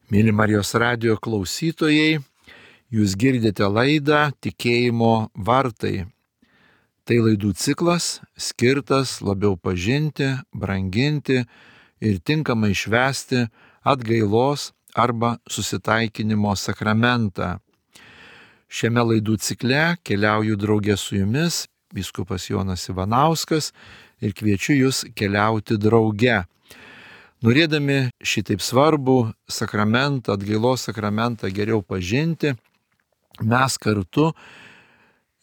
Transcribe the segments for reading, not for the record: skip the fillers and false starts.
Mėly Marijos radijo klausytojai, jūs girdite laidą Tikėjimo vartai. Tai laidų ciklas skirtas labiau pažinti, branginti ir tinkamai švęsti atgailos arba susitaikinimo sakramentą. Šiame laidų cikle keliauju draugė su jumis, vyskupas Jonas Ivanauskas, ir kviečiu jūs keliauti drauge. Norėdami šitaip svarbų sakramentą, atgailos sakramentą geriau pažinti, mes kartu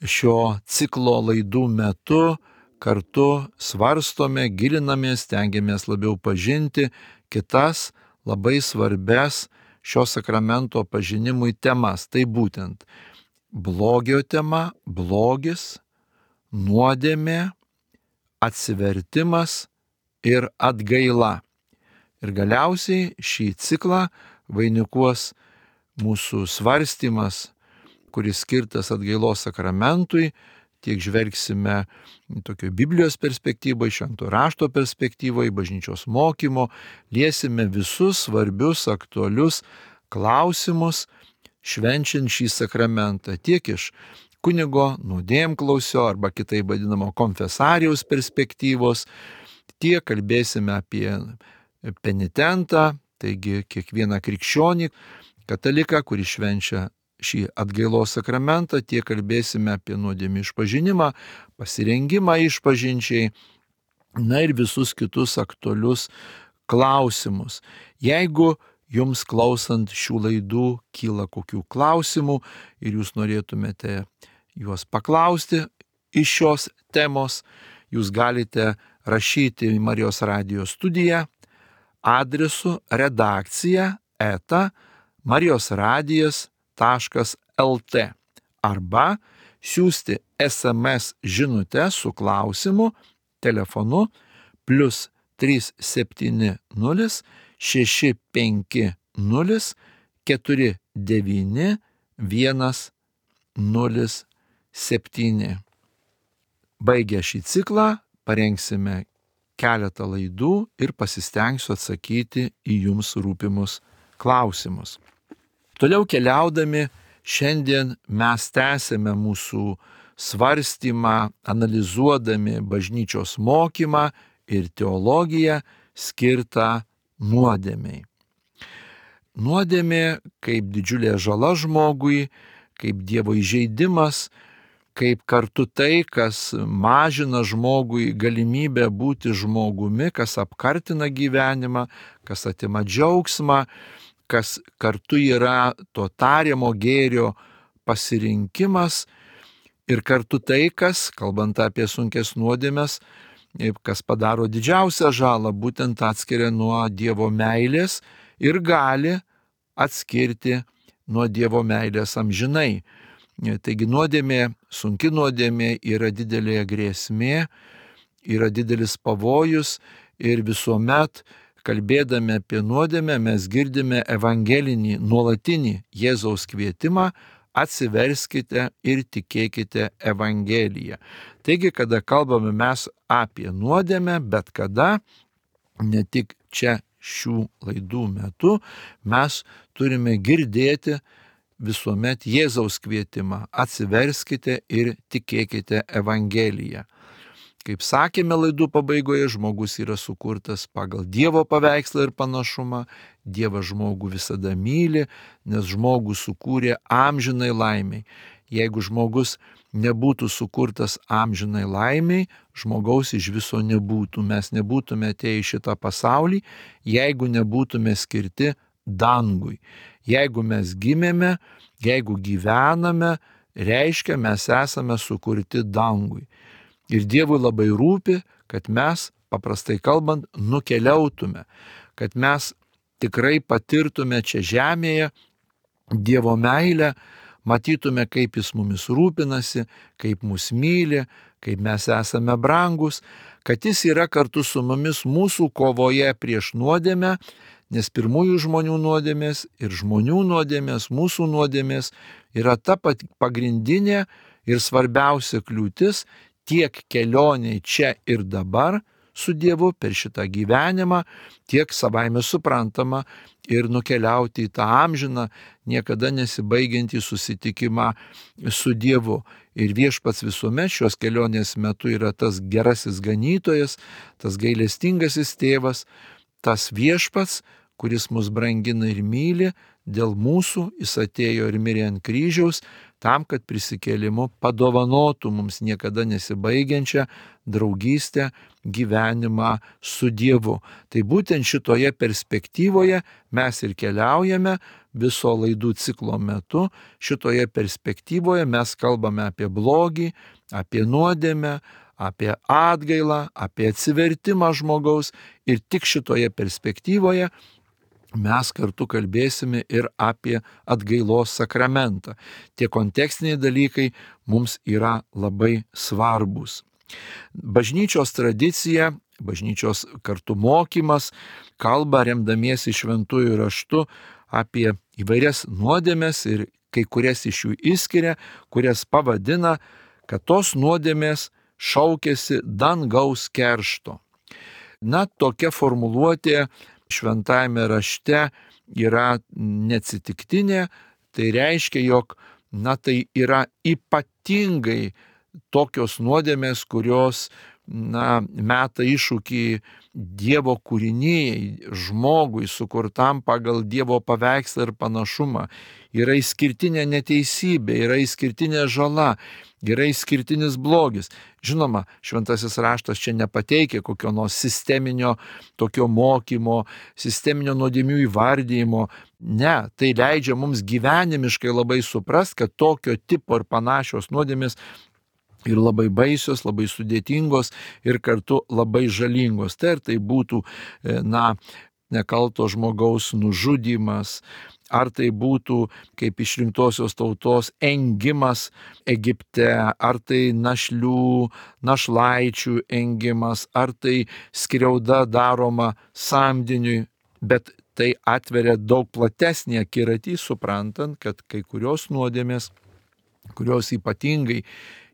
šio ciklo laidų metu kartu svarstome, gilinamės, stengiamės labiau pažinti kitas labai svarbes šio sakramento pažinimui temas. Tai būtent blogio tema, blogis, nuodėmė, atsivertimas ir atgaila. Ir galiausiai šį ciklą vainikuos mūsų svarstymas, kuris skirtas atgailos sakramentui. Tiek žvelgsime tokio Biblijos perspektyvoje, švento rašto perspektyvoje, bažnyčios mokymo, liesime visus svarbius, aktualius klausimus, švenčiant šį sakramentą. Tiek iš kunigo nuodėmklausio arba kitaip vadinamo konfesarijaus perspektyvos, tiek kalbėsime apie penitentą, taigi kiekvieną krikščionį, kataliką, kuris švenčia šį atgailos sakramentą, tiek kalbėsime apie nuodėmių išpažinimą, pasirengimą išpažinčiai, na ir visus kitus aktualius klausimus. Jeigu jums klausant šių laidų kyla kokių klausimų ir jūs norėtumėte juos paklausti iš šios temos, jūs galite rašyti į Marijos radijo studiją adresu redakcija@marijosradijas.lt arba siųsti SMS žinutę su klausimu telefonu +370 650 49 107. Baigę šį ciklą parengsime keletą laidų ir pasistengsiu atsakyti į jums rūpimus klausimus. Toliau keliaudami, šiandien mes tęsėme mūsų svarstymą, analizuodami bažnyčios mokymą ir teologiją skirtą nuodėmei. Nuodėmė kaip didžiulė žala žmogui, kaip Dievo įžeidimas, kaip kartu tai, kas mažina žmogui galimybę būti žmogumi, kas apkartina gyvenimą, kas atima džiaugsmą, kas kartu yra to tariamo gėrio pasirinkimas ir kartu tai, kas, kalbant apie sunkes nuodėmes, kas padaro didžiausią žalą, būtent atskiria nuo Dievo meilės ir gali atskirti nuo Dievo meilės amžinai. Taigi nuodėmė, sunki nuodėmė yra didelė grėsmė, yra didelis pavojus ir visuomet kalbėdami apie nuodėmę mes girdime evangelinį, nuolatinį Jėzaus kvietimą: atsiverskite ir tikėkite Evangeliją. Taigi, kada kalbame mes apie nuodėmę, bet kada, ne tik čia šių laidų metu, mes turime girdėti visuomet Jėzaus kvietimą: atsiverskite ir tikėkite Evangeliją. Kaip sakėme laidų pabaigoje, žmogus yra sukurtas pagal Dievo paveikslą ir panašumą. Dievas žmogų visada myli, nes žmogų sukūrė amžinai laimiai. Jeigu žmogus nebūtų sukurtas amžinai laimiai, žmogaus iš viso nebūtų. Mes nebūtume atėję į šitą pasaulį, jeigu nebūtume skirti dangui. Jeigu mes gimėme, jeigu gyvename, reiškia, mes esame sukurti dangui. Ir Dievui labai rūpi, kad mes, paprastai kalbant, nukeliautume, kad mes tikrai patirtume čia žemėje Dievo meilę, matytume, kaip Jis mumis rūpinasi, kaip mus myli, kaip mes esame brangus, kad Jis yra kartu su mumis mūsų kovoje prieš nuodėmę, nes pirmųjų žmonių nuodėmės ir žmonių nuodėmės, mūsų nuodėmės yra ta pagrindinė ir svarbiausia kliūtis tiek kelioniai čia ir dabar su Dievu per šitą gyvenimą, tiek savaime suprantama ir nukeliauti į tą amžiną, niekada nesibaigiantį susitikimą su Dievu. Ir Viešpats visuomet šios kelionės metu yra tas gerasis ganytojas, tas gailestingasis tėvas, tas Viešpats, kuris mus brangina ir myli, dėl mūsų jis atėjo ir mirė ant kryžiaus, tam, kad prisikėlimu padovanotų mums niekada nesibaigiančią draugystę, gyvenimą su Dievu. Tai būtent šitoje perspektyvoje mes ir keliaujame viso laidų ciklo metu. Šitoje perspektyvoje mes kalbame apie blogį, apie nuodėmę, apie atgailą, apie atsivertimą žmogaus ir tik šitoje perspektyvoje mes kartu kalbėsime ir apie atgailos sakramentą. Tie kontekstiniai dalykai mums yra labai svarbus. Bažnyčios tradicija, bažnyčios kartu mokymas kalba remdamiesi šventųjų raštu apie įvairias nuodėmes ir kai kurias iš jų išskiria, kurias pavadina, kad tos nuodėmės šaukėsi dangaus keršto. Na, tokia formuluotė šventajame rašte yra neatsitiktinė, tai reiškia, jog tai yra ypatingai tokios nuodėmės, kurios meta iššūkį Dievo kūrinijai, žmogui sukurtam pagal Dievo paveikslą ir panašumą. Yra išskirtinė neteisybė, yra išskirtinė žala, yra išskirtinis blogis. Žinoma, šventasis raštas čia nepateikia kokio nors sisteminio tokio mokymo, sisteminio nuodėmių įvardyjimo. Ne, tai leidžia mums gyvenimiškai labai suprasti, kad tokio tipo ir panašios nuodėmės ir labai baisios, labai sudėtingos ir kartu labai žalingos. Tai ar tai būtų, nekalto žmogaus nužudymas, ar tai būtų kaip išrinktosios tautos engimas Egipte, ar tai našlaičių engimas, ar tai skriauda daroma samdiniui, bet tai atveria daug platesnį akiratį, suprantant, kad kai kurios nuodėmės, kurios ypatingai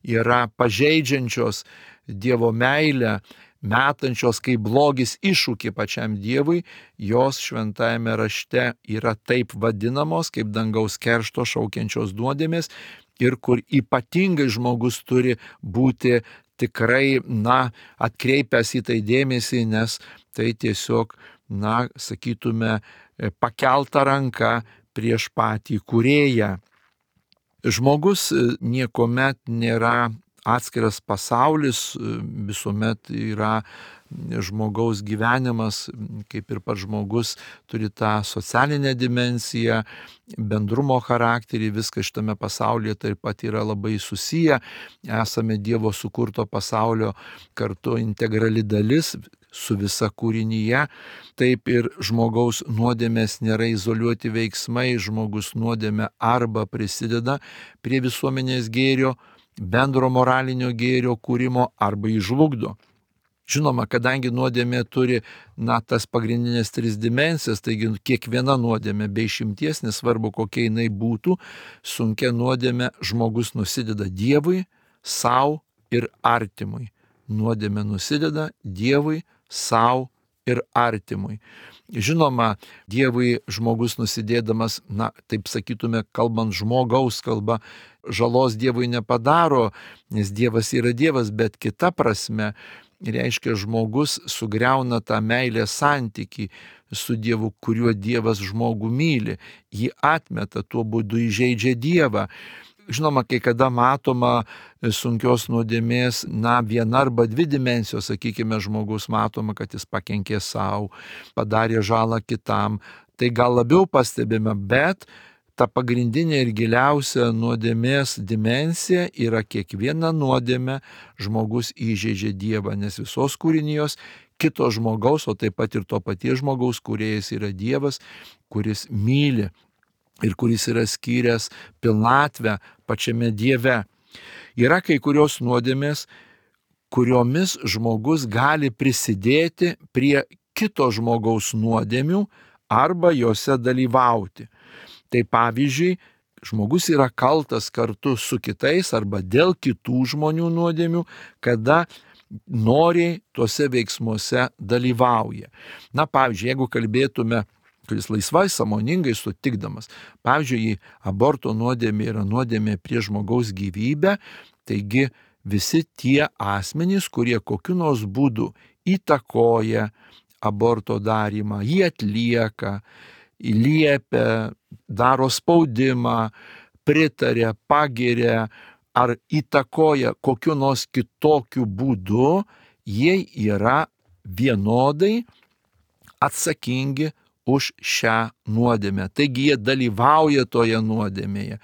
yra pažeidžiančios Dievo meilę, metančios kaip blogis iššūkį pačiam Dievui, jos šventajame rašte yra taip vadinamos kaip dangaus keršto šaukiančios nuodėmės ir kur ypatingai žmogus turi būti tikrai, atkreipęs į tai dėmesį, nes tai tiesiog, sakytume, pakelta ranka prieš patį kūrėją. Žmogus niekuomet nėra atskiras pasaulis, visuomet yra žmogaus gyvenimas, kaip ir pats žmogus turi tą socialinę dimensiją, bendrumo charakterį, viskas šitame pasaulyje taip pat yra labai susiję, esame Dievo sukurto pasaulio kartu integrali dalis su visa kūrinyje, taip ir žmogaus nuodėmės nėra izoliuoti veiksmai, žmogus nuodėmė arba prisideda prie visuomenės gėrio, bendro moralinio gėrio kūrimo arba įžlugdo. Žinoma, kadangi nuodėmė turi tas pagrindinės 3 dimensijas, taigi kiekviena nuodėmė be išimties, nesvarbu kokia jinai būtų, sunkia nuodėmė žmogus nusideda Dievui, savo ir artimui. Nuodėmė nusideda Dievui, savo ir artimui. Žinoma, Dievui žmogus nusidėdamas, taip sakytume, kalbant žmogaus kalba, žalos Dievui nepadaro, nes Dievas yra Dievas, bet kita prasme, reiškia, žmogus sugriauna tą meilės santykį su Dievu, kuriuo Dievas žmogų myli, jį atmeta, tuo būdu įžeidžia Dievą. Žinoma, kai kada matoma sunkios nuodėmės, viena arba 2 dimensijos, sakykime, žmogus matoma, kad jis pakenkė savo, padarė žalą kitam, tai gal labiau pastebime, bet ta pagrindinė ir giliausia nuodėmės dimensija yra kiekviena nuodėmė žmogus įžeidžia Dievą, nes visos kūrinijos kito žmogaus, o taip pat ir to paties žmogaus kūrėjas yra Dievas, kuris myli ir kuris yra skyręs pilnatvę pačiame Dieve. Yra kai kurios nuodėmės, kuriomis žmogus gali prisidėti prie kito žmogaus nuodėmių arba juose dalyvauti. Tai pavyzdžiui, žmogus yra kaltas kartu su kitais arba dėl kitų žmonių nuodėmių, kada noriai tuose veiksmuose dalyvauja. Na, pavyzdžiui, jeigu kalbėtume, kuris laisvai, sąmoningai sutikdamas, pavyzdžiui, aborto nuodėmė yra nuodėmė prie žmogaus gyvybę, taigi visi tie asmenys, kurie kokiu nors būdu įtakoja aborto darymą, jį atlieka, liepia, daro spaudimą, pritaria, pagiria ar įtakoja kokiu nors kitokiu būdu, jie yra vienodai atsakingi už šią nuodėmę. Taigi jie dalyvauja toje nuodėmėje.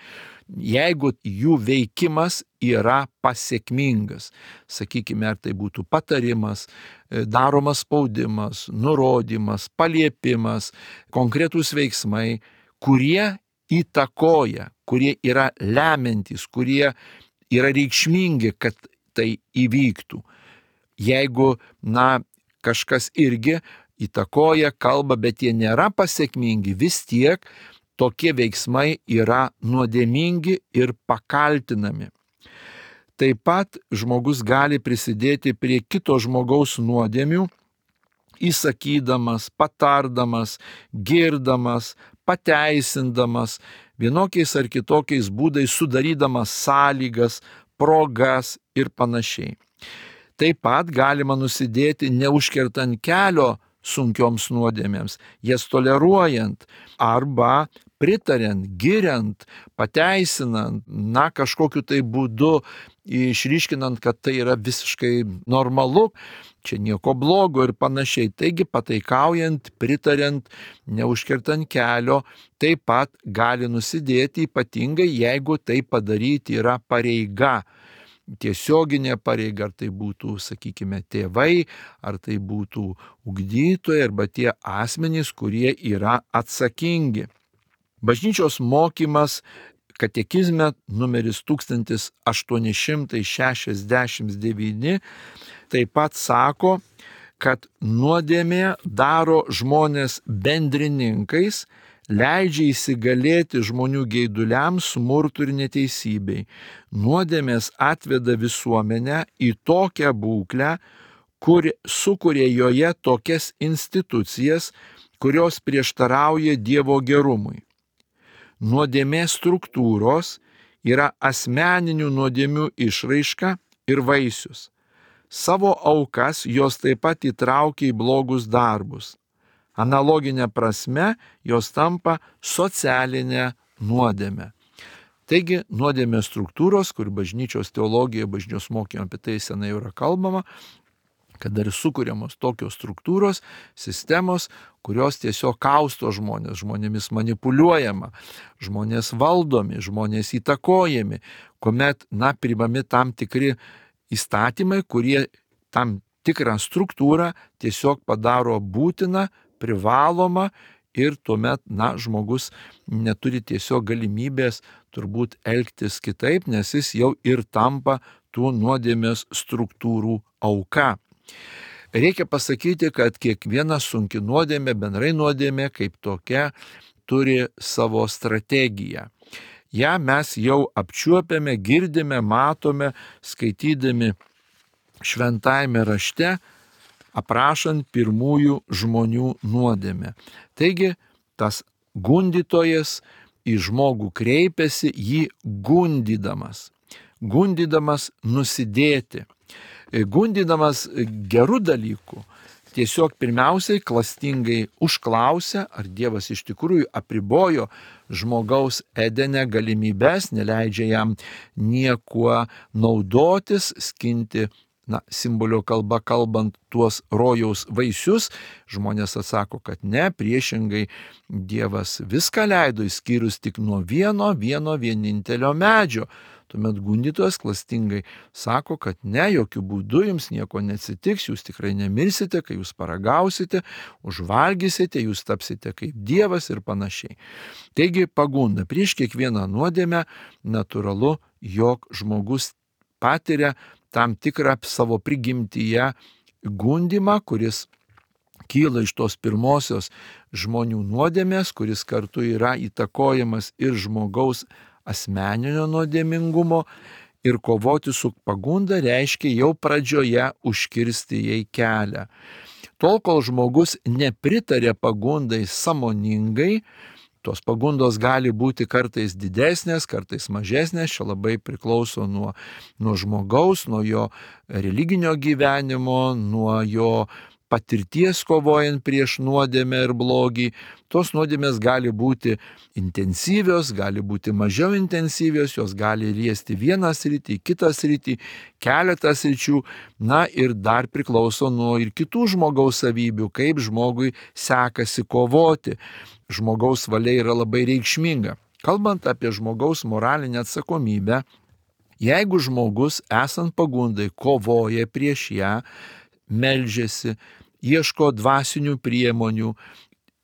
Jeigu jų veikimas yra pasiekmingas, sakykime, ar tai būtų patarimas, daromas spaudimas, nurodymas, paliepimas, konkretūs veiksmai, kurie įtakoja, kurie yra lemiantys, kurie yra reikšmingi, kad tai įvyktų. Jeigu, kažkas irgi įtakoja, kalba, bet jie nėra pasiekmingi, vis tiek tokie veiksmai yra nuodėmingi ir pakaltinami. Taip pat žmogus gali prisidėti prie kito žmogaus nuodėmių, įsakydamas, patardamas, girdamas, pateisindamas, vienokiais ar kitokiais būdais sudarydamas sąlygas, progas ir panašiai. Taip pat galima nusidėti neužkertant kelio sunkioms nuodėmėms, jas toleruojant arba pritariant, giriant, pateisinant, kažkokiu tai būdu išryškinant, kad tai yra visiškai normalu, čia nieko blogo ir panašiai. Taigi pataikaujant, pritariant, neužkertant kelio, taip pat gali nusidėti, ypatingai jeigu tai padaryti yra pareiga. Tiesioginė pareiga, ar tai būtų, sakykime, tėvai, ar tai būtų ugdytojai, arba tie asmenys, kurie yra atsakingi. Bažnyčios mokymas katekizme numeris 1869 taip pat sako, kad nuodėmė daro žmonės bendrininkais, leidžia įsigalėti žmonių geiduliams, smurtui ir neteisybei. Nuodėmės atveda visuomenę į tokią būklę, sukuria joje tokias institucijas, kurios prieštarauja Dievo gerumui. Nuodėmės struktūros yra asmeninių nuodėmių išraiška ir vaisius. Savo aukas jos taip pat įtraukia į blogus darbus. Analoginė prasme jos tampa socialinė nuodėmė. Taigi nuodėmės struktūros, kur bažnyčios teologija, bažnyčios mokymo apie tai senai yra kalbama, kad dar sukūriamos tokios struktūros, sistemos, kurios tiesiog kausto žmonėmis manipuliuojama, žmonės valdomi, žmonės įtakojami, kuomet, priimami tam tikri įstatymai, kurie tam tikrą struktūrą tiesiog padaro būtiną, privaloma ir tuomet, žmogus neturi tiesiog galimybės turbūt elgtis kitaip, nes jis jau ir tampa tų nuodėmės struktūrų auka. Reikia pasakyti, kad kiekviena sunki nuodėmė, bendrai nuodėmė kaip tokia, turi savo strategiją. Ja mes jau apčiuopiame, girdime, matome, skaitydami šventajame rašte, aprašant pirmųjų žmonių nuodėmę. Taigi, tas gundytojas į žmogų kreipiasi jį gundydamas nusidėti. Gundydamas gerų dalykų, tiesiog pirmiausiai klastingai užklausia, ar Dievas iš tikrųjų apribojo žmogaus Edene galimybės, neleidžia jam niekuo naudotis, skinti, simbolio kalba kalbant, tuos rojaus vaisius. Žmonės atsako, kad ne, priešingai Dievas viską leido, išskyrus tik nuo vieno vienintelio medžio. Tuomet gundytojas klastingai sako, kad ne, jokių būdų jums nieko neatsitiks, jūs tikrai nemirsite, kai jūs paragausite, užvalgysite, jūs tapsite kaip Dievas ir panašiai. Taigi pagunda prieš kiekvieną nuodėmę natūralu, jog žmogus patiria tam tikrą savo prigimtyje gundymą, kuris kyla iš tos pirmosios žmonių nuodėmės, kuris kartu yra įtakojamas ir žmogaus asmeninio nuodėmingumo, Ir kovoti su pagunda reiškia jau pradžioje užkirsti jai kelią. Tol, kol žmogus nepritarė pagundai sąmoningai, tos pagundos gali būti kartais didesnės, kartais mažesnės, čia labai priklauso nuo žmogaus, nuo jo religinio gyvenimo, nuo jo patirties kovojant prieš nuodėmę ir blogį. Tos nuodėmės gali būti intensyvios, gali būti mažiau intensyvios, jos gali liesti vieną sritį, kitą sritį, keletą sričių, ir dar priklauso nuo ir kitų žmogaus savybių, kaip žmogui sekasi kovoti. Žmogaus valia yra labai reikšminga. Kalbant apie žmogaus moralinę atsakomybę, jeigu žmogus, esant pagundai, kovoja prieš ją, meldžiasi, ieško dvasinių priemonių,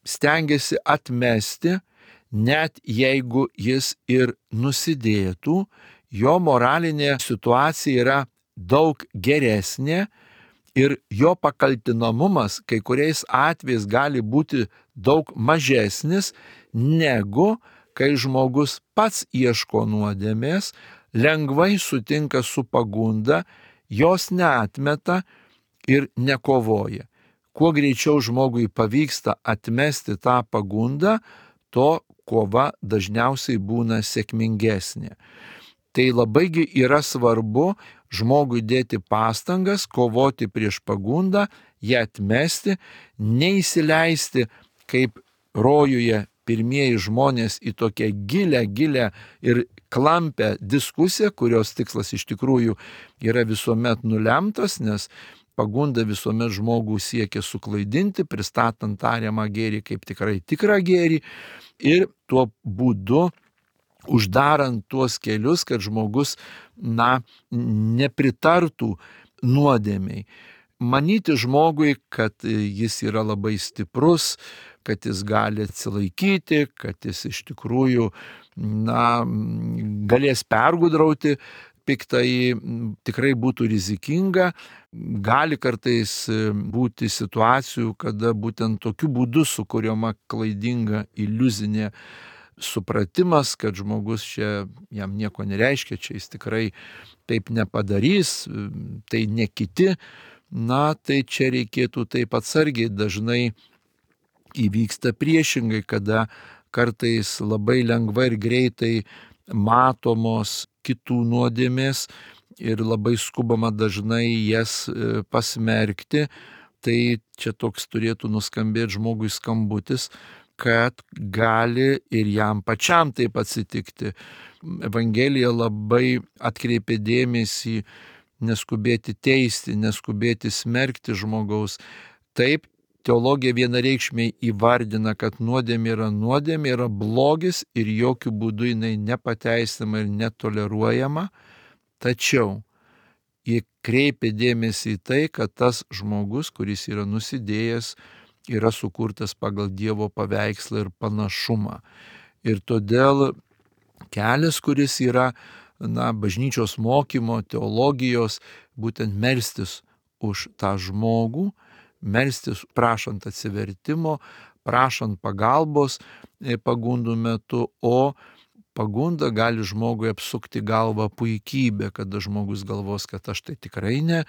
stengiasi atmesti, net jeigu jis ir nusidėtų, jo moralinė situacija yra daug geresnė ir jo pakaltinamumas kai kuriais atvejais gali būti daug mažesnis, negu kai žmogus pats ieško nuodėmės, lengvai sutinka su pagunda, jos neatmeta ir nekovoja. Kuo greičiau žmogui pavyksta atmesti tą pagundą, to kova dažniausiai būna sėkmingesnė. Tai labaigi yra svarbu žmogui dėti pastangas, kovoti prieš pagundą, ją atmesti, neįsileisti kaip rojuje pirmieji žmonės į tokią gilę ir klampę diskusiją, kurios tikslas iš tikrųjų yra visuomet nulemtas, nes pagunda visuomet žmogų siekia suklaidinti, pristatant tariamą gėrį kaip tikrai tikrą gėrį ir tuo būdu uždarant tuos kelius, kad žmogus, nepritartų nuodėmiai. Manyti žmogui, kad jis yra labai stiprus, kad jis gali atsilaikyti, kad jis iš tikrųjų, galės pergudrauti piktai, tikrai būtų rizikinga. Gali kartais būti situacijų, kada būtent tokiu būdu sukuriama klaidinga iliuzinė supratimas, kad žmogus čia jam nieko nereiškia, čia jis tikrai taip nepadarys, tai ne kiti. Tai čia reikėtų taip atsargiai, dažnai įvyksta priešingai, kada kartais labai lengvai ir greitai matomos kitų nuodėmės ir labai skubama dažnai jas pasmerkti. Tai čia toks turėtų nuskambėti žmogui skambutis, kad gali ir jam pačiam taip atsitikti. Evangelija labai atkreipia dėmesį neskubėti teisti, neskubėti smerkti žmogaus. Taip, teologija vienareikšmiai įvardina, kad nuodėmė yra blogis ir jokių būdų jinai nepateisinama ir netoleruojama, tačiau ji kreipia dėmesį į tai, kad tas žmogus, kuris yra nusidėjęs, yra sukurtas pagal Dievo paveikslą ir panašumą. Ir todėl kelias, kuris yra bažnyčios mokymo, teologijos, būtent melstis už tą žmogų, melstis prašant atsivertimo, prašant pagalbos pagundų metu, o pagunda gali žmogui apsukti galvą puikybę, kada žmogus galvos, kad aš tai tikrai ne,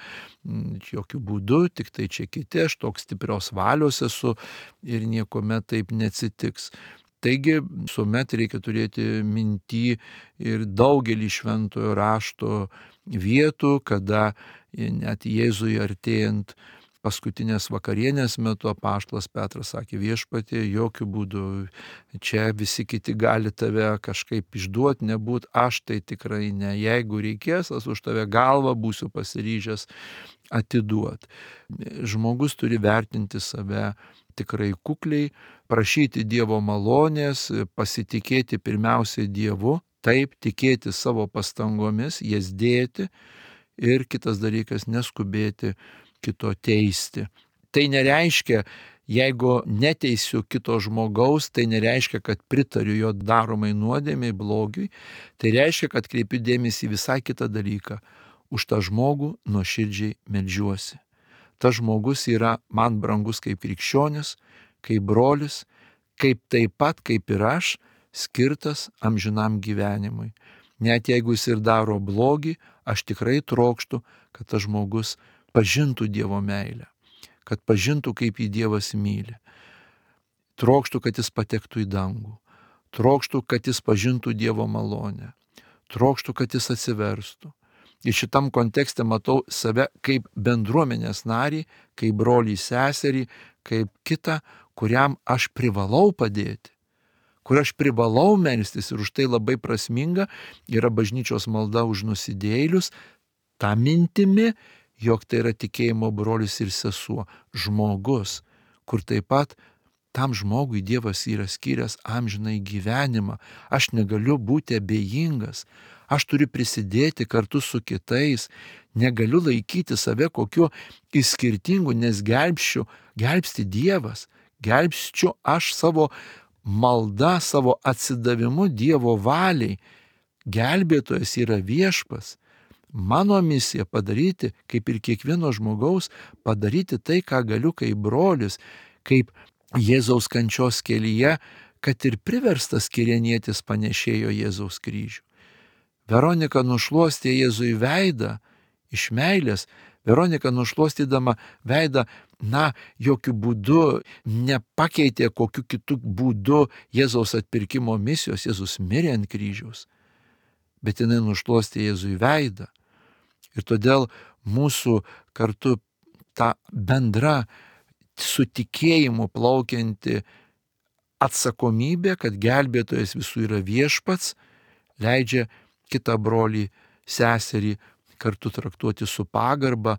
jokių būdų, tik tai čia kiti, aš toks stiprios valios esu ir niekuomet taip neatsitiks. Taigi visuomet reikia turėti minty ir daugelį šventojo rašto vietų, kada net Jėzui artėjant paskutinės vakarienės metu apaštalas Petras sakė: Viešpatie, jokių būdų, čia visi kiti gali tave kažkaip išduoti, nebūt, aš tai tikrai ne. Jeigu reikės, aš už tave galvą būsiu pasiryžęs atiduoti. Žmogus turi vertinti save tikrai kukliai, prašyti Dievo malonės, pasitikėti pirmiausiai Dievu, taip tikėti savo pastangomis, jas dėti ir kitas dalykas, neskubėti kito teisti. Tai nereiškia, jeigu neteisiu kito žmogaus, tai nereiškia, kad pritariu jo daromai nuodėmei, blogiui. Tai reiškia, kad kreipiu dėmesį į visai kitą dalyką. Už tą žmogų nuoširdžiai meldžiuosi. Tas žmogus yra man brangus kaip krikščionis, kaip brolis, kaip taip pat kaip ir aš, skirtas amžinam gyvenimui. net jeigu jis ir daro blogį, aš tikrai trokštu, kad tas žmogus pažintų Dievo meilę, kad pažintų, kaip jį Dievas myli. Trokštų, kad jis patektų į dangų. Trokštų, kad jis pažintų Dievo malonę. Trokštų, kad jis atsiverstų. Ir šitam kontekste matau save kaip bendruomenės narį, kaip brolį seserį, kaip kitą, kuriam aš privalau padėti, kur aš privalau melstis, ir už tai labai prasminga yra bažnyčios malda už nusidėjėlius, tą mintimi, jog tai yra tikėjimo brolis ir sesuo, žmogus, kur taip pat tam žmogui Dievas yra skyręs amžinai gyvenimą. Aš negaliu būti abejingas, aš turiu prisidėti kartu su kitais, negaliu laikyti save kokiu išskirtingu, nes gelbsti Dievas, gelbsčiu aš savo malda, savo atsidavimu Dievo valiai. Gelbėtojas yra Viešpats. Mano misija padaryti, kaip ir kiekvieno žmogaus, padaryti tai, ką galiu kaip brolis, kaip Jėzaus kančios kelyje, kad ir priverstas kirėnietis panešėjo Jėzaus kryžių. Veronika nušluostė Jėzui veidą iš meilės. Veronika nušluostydama veidą, jokių būdų nepakeitė kokiu kitų būdu Jėzaus atpirkimo misijos. Jėzus mirė ant kryžiaus, bet jinai nušluostė Jėzui veidą. Ir todėl mūsų kartu ta bendra su tikėjimu plaukianti atsakomybė, kad gelbėtojas visų yra Viešpats, leidžia kitą brolį, seserį kartu traktuoti su pagarba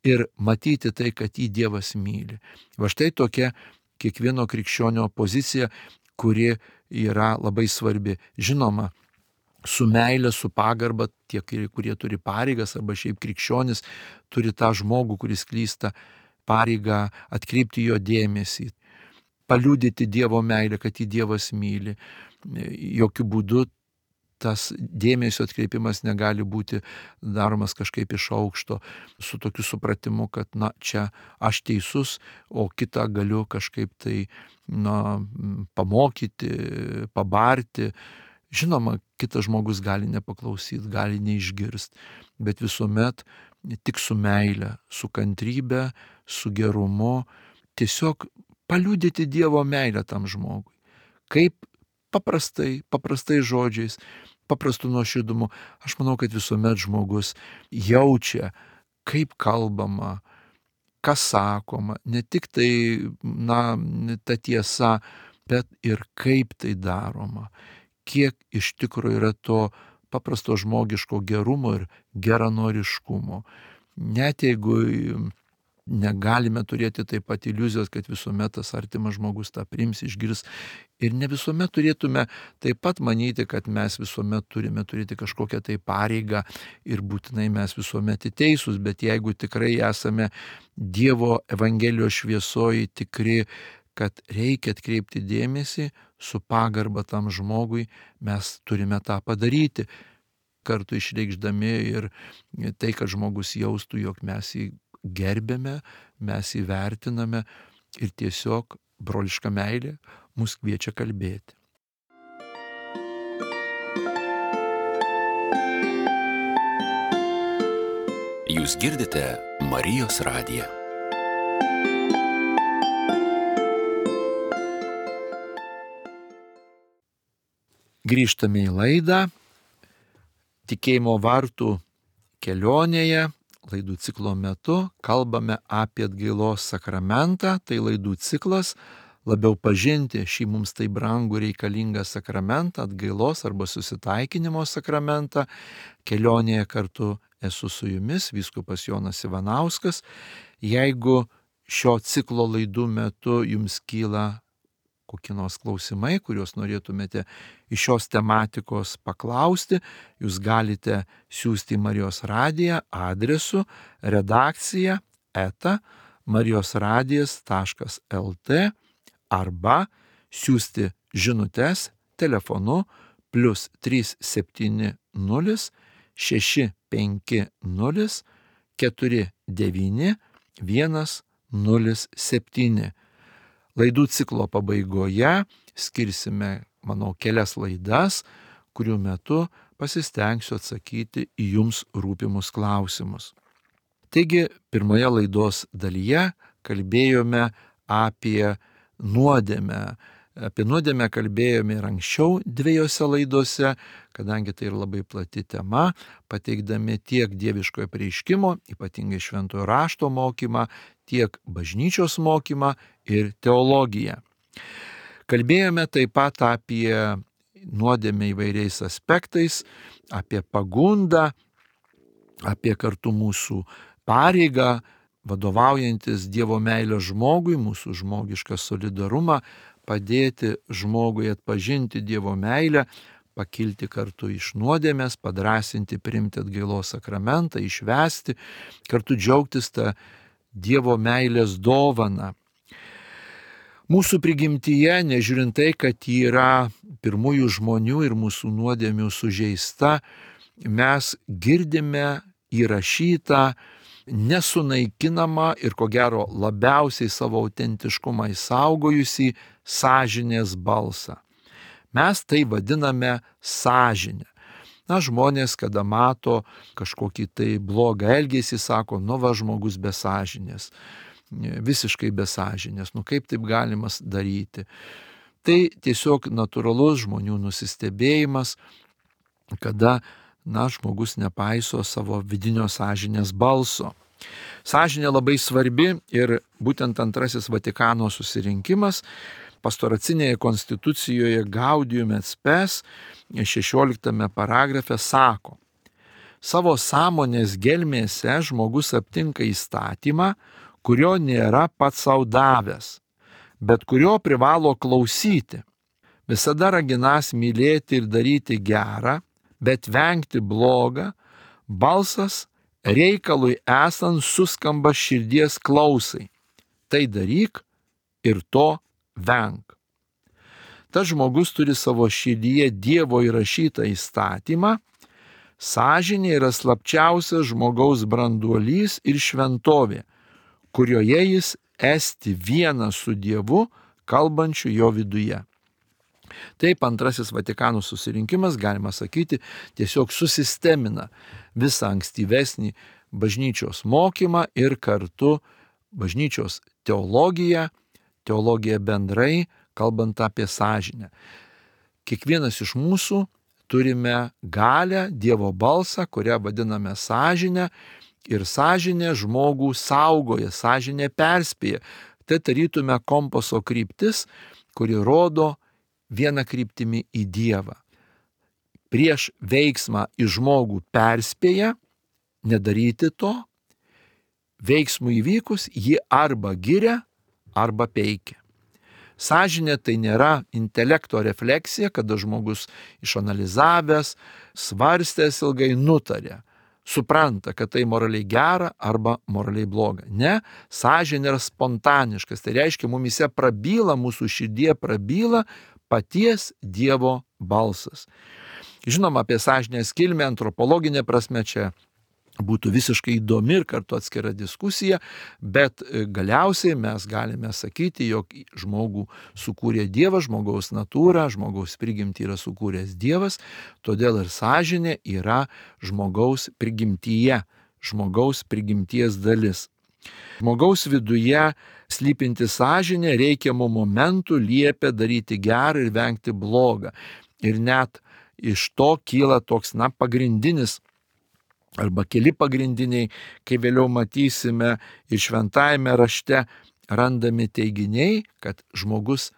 ir matyti tai, kad jį Dievas myli. Va štai tokia kiekvieno krikščionio pozicija, kuri yra labai svarbi. Žinoma, su meile, su pagarba, tie, kurie turi pareigas, arba šiaip krikščionis, turi tą žmogų, kuris klysta, pareigą atkreipti jo dėmesį, paliudyti Dievo meilę, kad jį Dievas myli. Jokių būdų tas dėmesio atkreipimas negali būti daromas kažkaip iš aukšto, su tokiu supratimu, kad čia aš teisus, o kitą galiu kažkaip tai pamokyti, pabarti. Žinoma, kitas žmogus gali nepaklausyti, gali neišgirsti, bet visuomet tik su meile, su kantrybe, su gerumu, tiesiog paliudyti Dievo meilę tam žmogui. Kaip paprastai žodžiais, paprastu nuoširdumu. Aš manau, kad visuomet žmogus jaučia, kaip kalbama, kas sakoma, ne tik tai, ta tiesa, bet ir kaip tai daroma. Kiek iš tikrųjų yra to paprasto žmogiško gerumo ir geranoriškumo. Net jeigu negalime turėti taip pat iliuzijos, kad visuomet tas artimas žmogus tą priims, išgirs. Ir ne visuomet turėtume taip pat manyti, kad mes visuomet turime turėti kažkokią tai pareigą ir būtinai mes visuomet teisūs, bet jeigu tikrai esame Dievo Evangelijos šviesoje tikri, kad reikia atkreipti dėmesį su pagarba tam žmogui, mes turime tą padaryti, kartu išreikšdami ir tai, kad žmogus jaustų, jog mes jį gerbėme, mes jį vertiname ir tiesiog broliška meilė mus kviečia kalbėti. Jūs girdite Marijos radiją. Grįžtame į laidą Tikėjimo vartų kelionėje. Laidų ciklo metu kalbame apie atgailos sakramentą, tai laidų ciklas labiau pažinti šį mums tai brangų reikalingą sakramentą, atgailos arba susitaikinimo sakramentą. Kelionėje kartu esu su jumis, vyskupas Jonas Ivanauskas. Jeigu šio ciklo laidų metu jums kyla kokie nors klausimai, kuriuos norėtumėte iš šios tematikos paklausti, jūs galite siųsti į Marijos radiją adresu redakcija@marijosradijas.lt arba siųsti žinutes telefonu +370 650 49 107. Laidų ciklo pabaigoje skirsime, manau, kelias laidas, kurių metu pasistengsiu atsakyti į jums rūpimus klausimus. Taigi, pirmoje laidos dalyje kalbėjome apie nuodėmę. Apie nuodėmę kalbėjome ir anksčiau 2 laidose, kadangi tai ir labai plati tema, pateikdami tiek dieviškojo apreiškimo, ypatingai šventojo rašto mokymą, tiek bažnyčios mokymą ir teologiją. Kalbėjome taip pat apie nuodėmę įvairiais aspektais, apie pagundą, apie kartu mūsų pareigą, vadovaujantis Dievo meilę žmogui, mūsų žmogišką solidarumą, padėti žmogui atpažinti Dievo meilę, pakilti kartu iš nuodėmės, padrąsinti priimti atgailos sakramentą, išvesti, kartu džiaugtis tą Dievo meilės dovaną. Mūsų prigimtyje, nežiūrint tai, kad yra pirmųjų žmonių ir mūsų nuodėmių sužeista, mes girdime įrašytą, nesunaikinamą ir ko gero labiausiai savo autentiškumą išsaugojusį sąžinės balsą. Mes tai vadiname sąžinę. Žmonės, kada mato kažkokį tai blogą elgesį, sako, va žmogus be sąžinės, visiškai be sąžinės, kaip taip galima daryti. Tai tiesiog natūralus žmonių nusistebėjimas, kada žmogus nepaiso savo vidinio sąžinės balso. Sąžinė labai svarbi ir būtent Antrasis Vatikano susirinkimas pastoracinėje konstitucijoje Gaudium et Spes 16 paragrafe sako: savo sąmonės gelmėse žmogus aptinka įstatymą, kurio nėra pats sau davęs, bet kurio privalo klausyti. Visada raginąs mylėti ir daryti gerą, bet vengti blogą, balsas reikalui esant suskamba širdies klausai. Tai daryk ir to venk. Tas žmogus turi savo širdyje Dievo įrašytą įstatymą, sąžinė yra slapčiausias žmogaus branduolys ir šventovė, kurioje jis esti vienas su Dievu, kalbančiu jo viduje. Taip, Antrasis Vatikano susirinkimas, galima sakyti, tiesiog susistemina visą ankstyvesnį bažnyčios mokymą ir kartu bažnyčios teologiją bendrai, kalbant apie sąžinę. Kiekvienas iš mūsų turime galę, Dievo balsą, kurią vadiname sąžinę, ir sąžinė žmogų saugoja, sąžinė perspėja. Tai tarytume kompaso kryptis, kuri rodo vieną kryptimį į Dievą. Prieš veiksmą į žmogų perspėja nedaryti to, veiksmų įvykus jį arba giria, arba peikia. Sąžinė tai nėra intelekto refleksija, kada žmogus išanalizavęs, svarstęs ilgai nutarė, supranta, kad tai moraliai gera arba moraliai bloga. Ne, sąžinė yra spontaniškas, tai reiškia, mumise prabyla, mūsų širdie prabyla paties Dievo balsas. Žinoma, apie sąžinės kilmę antropologinė prasme čia būtų visiškai įdomi ir kartu atskira diskusija, bet galiausiai mes galime sakyti, jog žmogų sukūrė Dievas, žmogaus natūrą, žmogaus prigimtį yra sukūręs Dievas, todėl ir sąžinė yra žmogaus prigimtyje, žmogaus prigimties dalis. Žmogaus viduje slypinti sąžinė reikiamų momentų liepia daryti gerą ir vengti blogą. Ir net iš to kyla toks, pagrindinis arba keli pagrindiniai, kai vėliau matysime ir šventajame rašte randami teiginiai, kad žmogus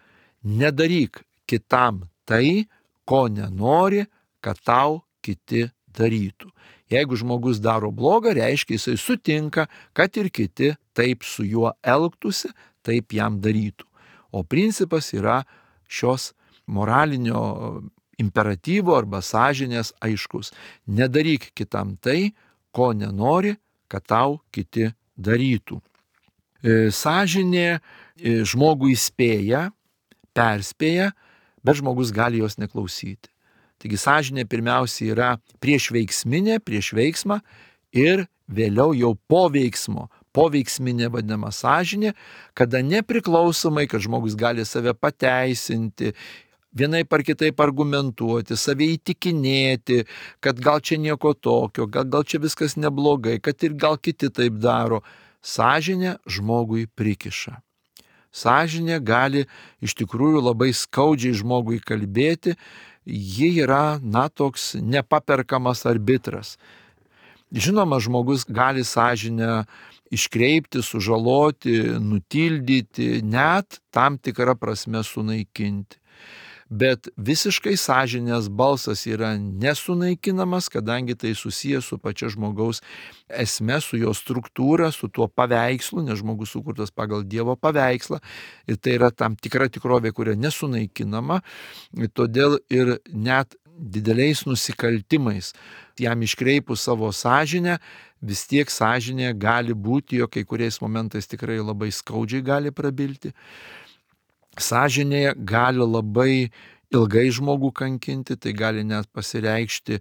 nedaryk kitam tai, ko nenori, kad tau kiti darytų. Jeigu žmogus daro blogą, reiškia jisai sutinka, kad ir kiti taip su juo elgtųsi, taip jam darytų. O principas yra šios moralinio imperatyvo arba sąžinės aiškus. Nedaryk kitam tai, ko nenori, kad tau kiti darytų. Sąžinė žmogų įspėja, perspėja, bet žmogus gali jos neklausyti. Taigi sąžinė pirmiausia yra prieš veiksmą ir vėliau jau po veiksmo. Poveiksminė vadinama sąžinė, kada nepriklausomai, kad žmogus gali save pateisinti, vienaip ar kitaip argumentuoti, save įtikinėti, kad gal čia nieko tokio, gal čia viskas neblogai, kad ir gal kiti taip daro. Sąžinė žmogui prikiša. Sąžinė gali iš tikrųjų labai skaudžiai žmogui kalbėti, ji yra, toks nepaperkamas arbitras. Žinoma, žmogus gali sąžinę iškreipti, sužaloti, nutildyti, net tam tikrą prasme sunaikinti. Bet visiškai sąžinės balsas yra nesunaikinamas, kadangi tai susijęs su pačia žmogaus esme, su jo struktūra, su tuo paveikslu, nes žmogus sukurtas pagal Dievo paveikslą ir tai yra tam tikra tikrovė, kuria nesunaikinama, todėl ir net dideliais nusikaltimais jam iškreipus savo sąžinę, vis tiek sąžinė gali būti, jo kai kuriais momentais tikrai labai skaudžiai gali prabilti. Sąžinė gali labai ilgai žmogų kankinti, tai gali net pasireikšti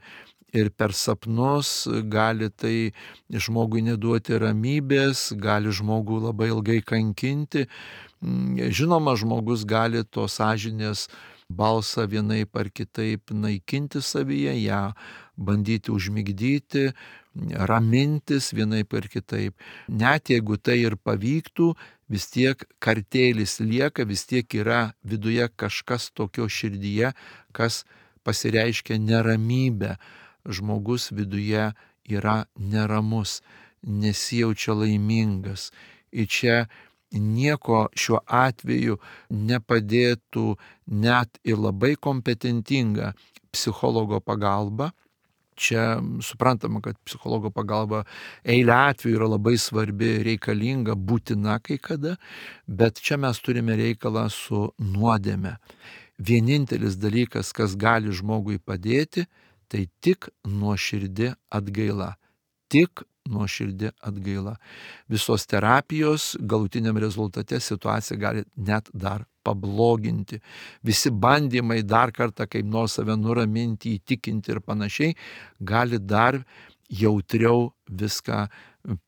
ir per sapnus, gali tai žmogui neduoti ramybės, gali žmogų labai ilgai kankinti. Žinoma, žmogus gali to sąžinės balsą vienaip ar kitaip naikinti savyje, ją bandyti užmigdyti, ramintis vienaip ar kitaip. Net jeigu tai ir pavyktų, vis tiek kartėlis lieka, vis tiek yra viduje kažkas tokio širdyje, kas pasireiškia neramybę. Žmogus viduje yra neramus, nesijaučia laimingas. Ir čia nieko šiuo atveju nepadėtų net ir labai kompetentinga psichologo pagalba. Čia suprantama, kad psichologo pagalba eilę atvejų yra labai svarbi, reikalinga, būtina kai kada, bet čia mes turime reikalą su nuodėme. Vienintelis dalykas, kas gali žmogui padėti, tai tik nuoširdi atgaila. Tik nuoširdi atgaila. Visos terapijos galutiniam rezultate situaciją gali net dar pabloginti. Visi bandymai dar kartą kaip nors save nuraminti, įtikinti ir panašiai, gali dar jautriau viską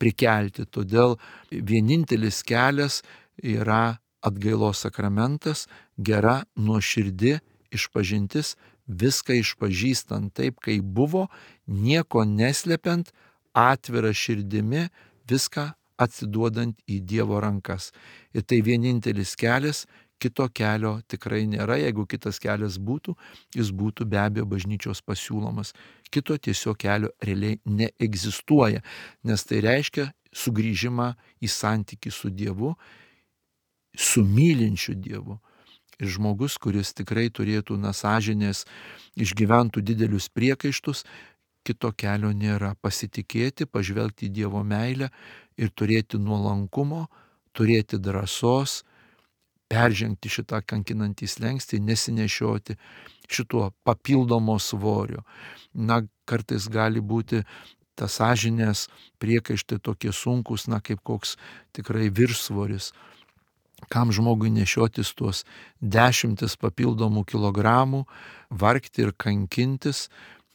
prikelti. Todėl vienintelis kelias yra atgailos sakramentas, gera nuoširdi išpažintis, viską išpažįstant taip, kaip buvo, nieko neslepiant, atvira širdimi, viską atsiduodant į Dievo rankas. Ir tai vienintelis kelias, kito kelio tikrai nėra. Jeigu kitas kelias būtų, jis būtų be abejo bažnyčios pasiūlomas. Kito tiesiog kelio realiai neegzistuoja, nes tai reiškia sugrįžimą į santykį su Dievu, su mylinčiu Dievu. Ir žmogus, kuris tikrai turėtų sąžinės, išgyventų didelius priekaištus, kito kelio nėra. Pasitikėti, pažvelgti į Dievo meilę ir turėti nuolankumo, turėti drąsos, peržengti šitą kankinantį slenkstį, nesinešioti šituo papildomo svorio. Kartais gali būti tas sąžinės priekaištai tokie sunkus, kaip koks tikrai viršsvoris. Kam žmogui nešiotis tuos 10 papildomų kilogramų, vargti ir kankintis,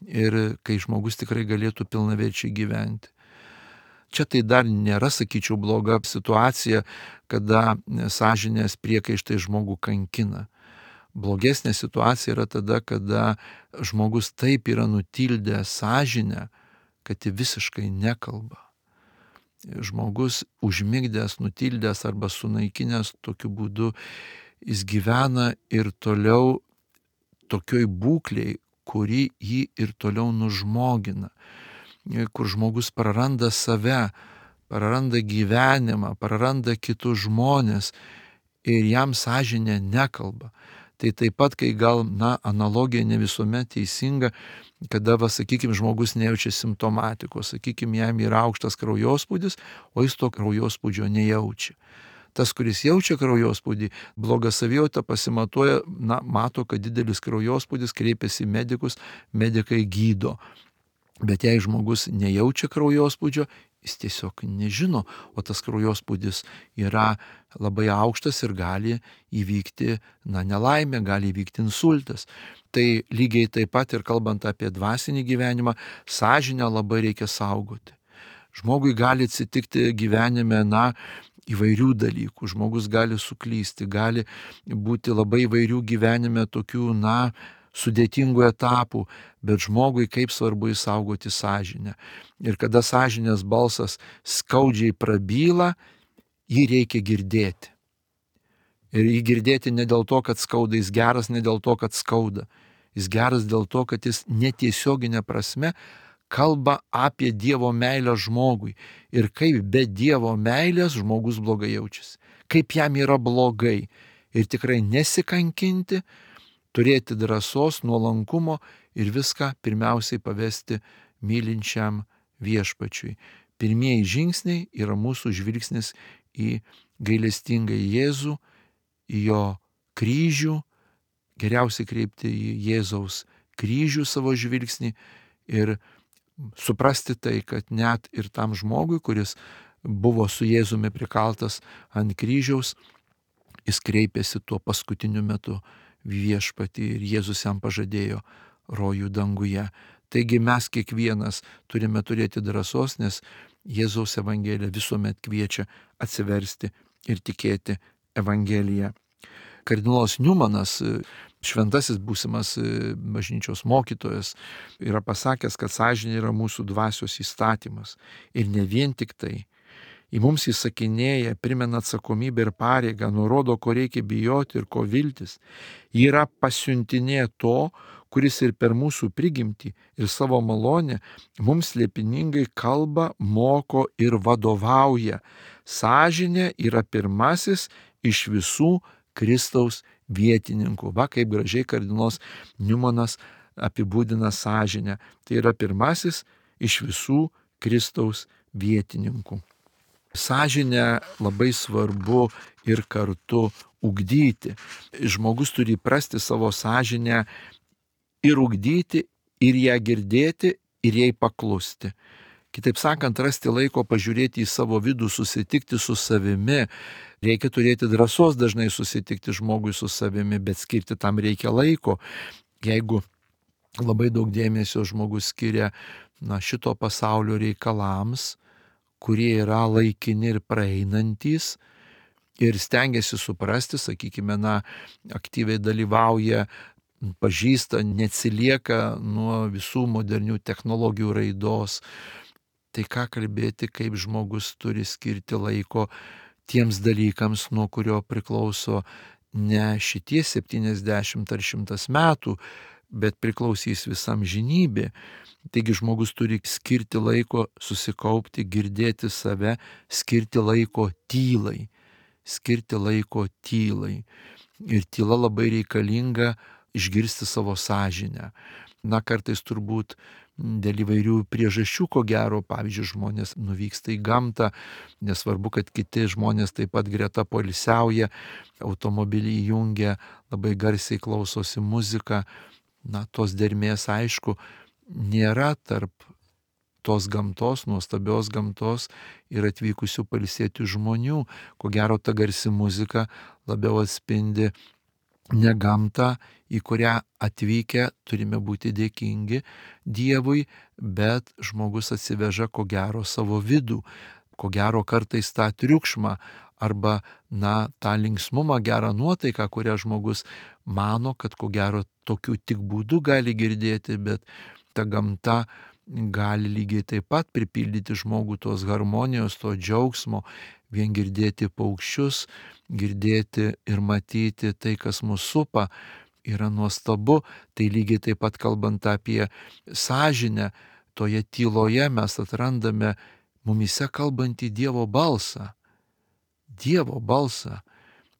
ir kai žmogus tikrai galėtų pilnaverčiai gyventi. Čia tai dar nėra, sakyčiau, bloga situacija, kada sąžinės priekaištai žmogų kankina. Blogesnė situacija yra tada, kada žmogus taip yra nutildęs sąžinę, kad ji visiškai nekalba. Žmogus užmigdęs, nutildęs arba sunaikinęs tokiu būdu, jis gyvena ir toliau tokioj būklėj, kuri jį ir toliau nužmogina, kur žmogus praranda save, praranda gyvenimą, praranda kitus žmonės ir jam sąžinė nekalba. Tai taip pat, kai gal, analogija ne visuomet teisinga, kada, sakykime, žmogus nejaučia simptomatikos, sakykime, jam yra aukštas kraujospūdis, o jis to kraujospūdžio nejaučia. Tas, kuris jaučia kraujospūdį, blogą savijautą pasimatuoja, mato, kad didelis kraujospūdis, kreipiasi į medikus, medikai gydo. Bet jei žmogus nejaučia kraujospūdžio, jis tiesiog nežino, o tas kraujospūdis yra labai aukštas ir gali įvykti nelaimė, gali įvykti insultas. Tai lygiai taip pat ir kalbant apie dvasinį gyvenimą, sąžinę labai reikia saugoti. Žmogui gali atsitikti gyvenime, įvairių dalykų. Žmogus gali suklysti, gali būti labai įvairių gyvenime tokių, sudėtingų etapų, bet žmogui kaip svarbu išsaugoti sąžinę. Ir kada sąžinės balsas skaudžiai prabyla, jį reikia girdėti. Ir jį girdėti ne dėl to, kad skauda, jis geras ne dėl to, kad skauda. Jis geras dėl to, kad jis netiesioginė prasme kalba apie Dievo meilę žmogui. Ir kaip be Dievo meilės žmogus blogai jaučiasi. Kaip jam yra blogai. Ir tikrai nesikankinti, turėti drąsos, nuolankumo ir viską pirmiausiai pavesti mylinčiam viešpačiui. Pirmieji žingsniai yra mūsų žvilgsnis į gailestingą Jėzų, į jo kryžių, geriausiai kreipti į Jėzaus kryžių savo žvilgsnį ir suprasti tai, kad net ir tam žmogui, kuris buvo su Jėzumi prikaltas ant kryžiaus, jis kreipėsi tuo paskutiniu metu viešpatį ir Jėzus jam pažadėjo rojų danguje. Taigi mes kiekvienas turime turėti drąsos, nes Jėzaus Evangelija visuomet kviečia atsiversti ir tikėti Evangeliją. Kardinolas Niumanas, šventasis būsimas bažnyčios mokytojas, yra pasakęs, kad sąžinė yra mūsų dvasios įstatymas. Ir ne vien tik tai. Į mums įsakinėja, primena atsakomybę ir pareigą, nurodo, ko reikia bijoti ir ko viltis. Ji yra pasiuntinė to, kuris ir per mūsų prigimtį ir savo malonę mums slėpiningai kalba, moko ir vadovauja. Sąžinė yra pirmasis iš visų Kristaus vietininkų. Va, kaip gražiai kardinolas Niumanas apibūdina sąžinę. Tai yra pirmasis iš visų Kristaus vietininkų. Sąžinę labai svarbu ir kartu ugdyti. Žmogus turi įprasti savo sąžinę ir ugdyti, ir ją girdėti, ir jai paklusti. Kitaip sakant, rasti laiko pažiūrėti į savo vidų, susitikti su savimi. Reikia turėti drąsos dažnai susitikti žmogui su savimi, bet skirti tam reikia laiko. Jeigu labai daug dėmesio žmogus skiria šito pasaulio reikalams, kurie yra laikini ir praeinantys, ir stengiasi suprasti, sakykime, aktyviai dalyvauja, pažįsta, neatsilieka nuo visų modernių technologijų raidos. Tai ką kalbėti, kaip žmogus turi skirti laiko tiems dalykams, nuo kurio priklauso ne šitie 70 ar 100 metų, bet priklausys visam žinybė. Taigi žmogus turi skirti laiko susikaupti, girdėti save, skirti laiko tylai. Skirti laiko tylai. Ir tyla labai reikalinga išgirsti savo sąžinę. Kartais turbūt dėl įvairių priežasčių, ko gero, pavyzdžiui, žmonės nuvyksta į gamtą, nesvarbu, kad kiti žmonės taip pat greta poilsiauja, automobilį įjungia, labai garsiai klausosi muziką. Tos dermės, aišku, nėra tarp tos gamtos, nuostabios gamtos ir atvykusių pailsėti žmonių. Ko gero, ta garsi muzika labiau atspindi ne gamtą, į kurią atvykę turime būti dėkingi Dievui, bet žmogus atsiveža ko gero savo vidų, ko gero kartais tą triukšmą arba tą linksmumą, gerą nuotaiką, kurią žmogus mano, kad ko gero tokiu tik būdu gali girdėti, bet ta gamta gali lygiai taip pat pripildyti žmogų tos harmonijos, to džiaugsmo, vien girdėti paukščius, girdėti ir matyti tai, kas mus supa, yra nuostabu. Tai lygiai taip pat kalbant apie sąžinę, toje tyloje mes atrandame mumise kalbantį Dievo balsą. Dievo balsą,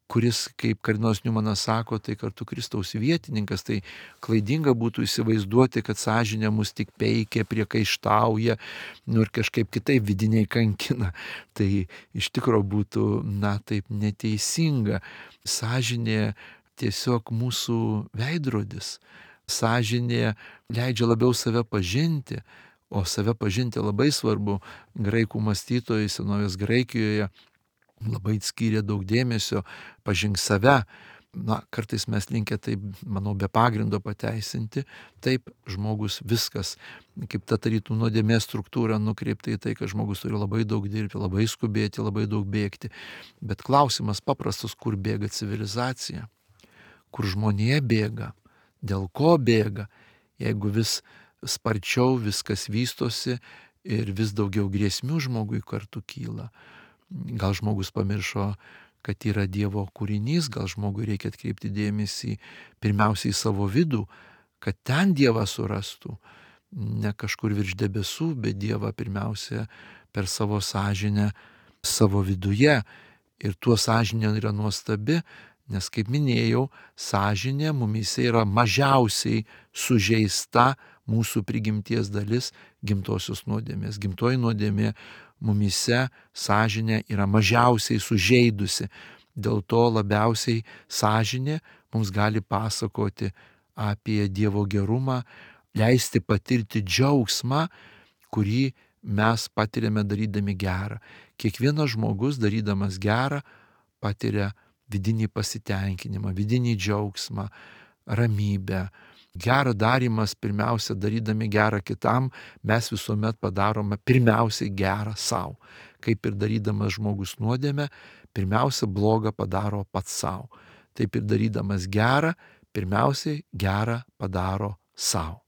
kuris, kaip kardinolas Niumanas sako, tai kartu Kristaus vietininkas. Tai klaidinga būtų įsivaizduoti, kad sąžinė mus tik peikia, priekaištauja, ir kažkaip kitaip vidiniai kankina. Tai iš tikrųjų būtų, taip neteisinga. Sąžinė tiesiog mūsų veidrodis. Sąžinė leidžia labiau save pažinti, o save pažinti labai svarbu. Graikų mąstytojai senovės Graikijoje labai skyrė daug dėmesio, pažink save. kartais mes linkę taip, manau, be pagrindo pateisinti. Taip, žmogus viskas, kaip ta tarytum nuodėmės struktūra nukreipta į tai, kad žmogus turi labai daug dirbti, labai skubėti, labai daug bėgti. Bet klausimas paprastas, kur bėga civilizacija, kur žmonija bėga, dėl ko bėga, jeigu vis sparčiau viskas vystosi ir vis daugiau grėsmių žmogui kartu kyla. Gal žmogus pamiršo, kad yra Dievo kūrinys, gal žmogui reikia atkreipti dėmesį pirmiausiai į savo vidų, kad ten Dievą surastų, ne kažkur virš debesų, bet Dievą pirmiausia per savo sąžinę, savo viduje. Ir tuo sąžinė yra nuostabi, nes, kaip minėjau, sąžinė mumyse yra mažiausiai sužeista mūsų prigimties dalis gimtosios nuodėmės. Gimtoji nuodėmė mumyse sąžinė yra mažiausiai sužeidusi. Dėl to labiausiai sąžinė mums gali pasakoti apie Dievo gerumą, leisti patirti džiaugsmą, kurį mes patiriame darydami gerą. Kiekvienas žmogus darydamas gerą patiria vidinį pasitenkinimą, vidinį džiaugsmą, ramybę. Gerą darymas, pirmiausia, darydami gerą kitam, mes visuomet padarome pirmiausiai gerą savo. Kaip ir darydamas žmogus nuodėmę, pirmiausia blogą padaro pats savo. Taip ir darydamas gerą, pirmiausiai gerą padaro savo.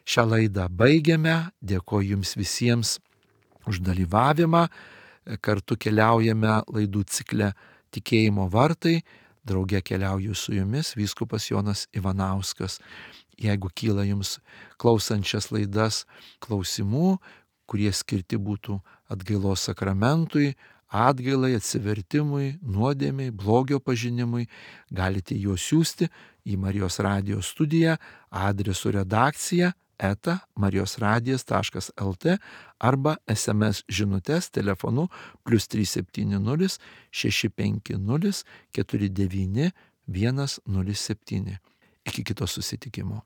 Šią laidą baigiame, dėkoju jums visiems už dalyvavimą, kartu keliaujame laidų cikle Tikėjimo vartai, drauge keliauju su jumis vyskupas Jonas Ivanauskas. Jeigu kyla jums klausančias laidas klausimų, kurie skirti būtų atgailos sakramentui, atgailai, atsivertimui, nuodėmei, blogio pažinimui, galite juos siųsti į Marijos radijo studiją adresu redakcija @marijosradijas.lt arba SMS žinutes telefonu +370 650 49 107. Iki kito susitikimo.